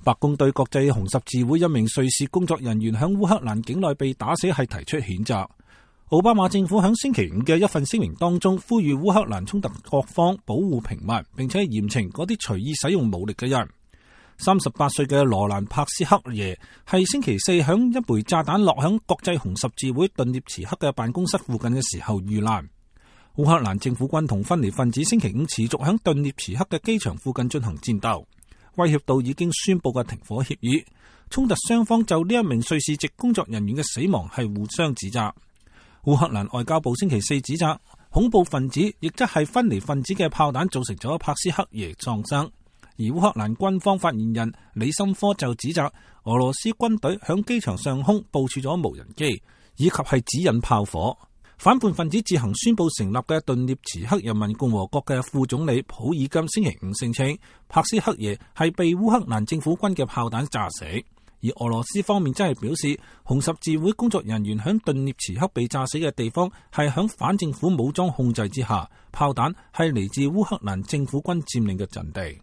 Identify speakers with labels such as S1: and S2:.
S1: 白宮對國際紅十字會一名瑞士工作人員響烏克蘭境內被打死係提出譴責。奧巴馬政府響星期五嘅一份聲明當中，呼籲烏克蘭衝突各方保護平民，並且嚴懲嗰啲隨意使用武力嘅人。38歲嘅羅蘭帕斯克耶係星期四響一枚炸彈落響國際紅十字會頓涅茨克嘅辦公室附近嘅時候遇難。烏克蘭政府軍同分離分子星期五持續響頓涅茨克嘅機場附近進行戰鬥，威脅到已經宣布嘅停火協議。衝突雙方就呢一名瑞士籍工作人員嘅死亡係互相指責。烏克蘭外交部星期四指責恐怖分子，亦即係分離分子嘅炮彈造成咗帕斯克耶喪生。而烏克蘭軍方發言人李森科就指責俄羅斯軍隊響機場上空部署咗無人機，以及係指引炮火。反叛分子自行宣布成立嘅頓涅茨克人民共和國嘅副總理普爾金星期五聲稱，帕斯克耶係被烏克蘭政府軍嘅炮彈炸死。而俄羅斯方面真係表示，紅十字會工作人員響頓涅茨克被炸死嘅地方係響反政府武裝控制之下，炮彈係嚟自烏克蘭政府軍佔領嘅陣地。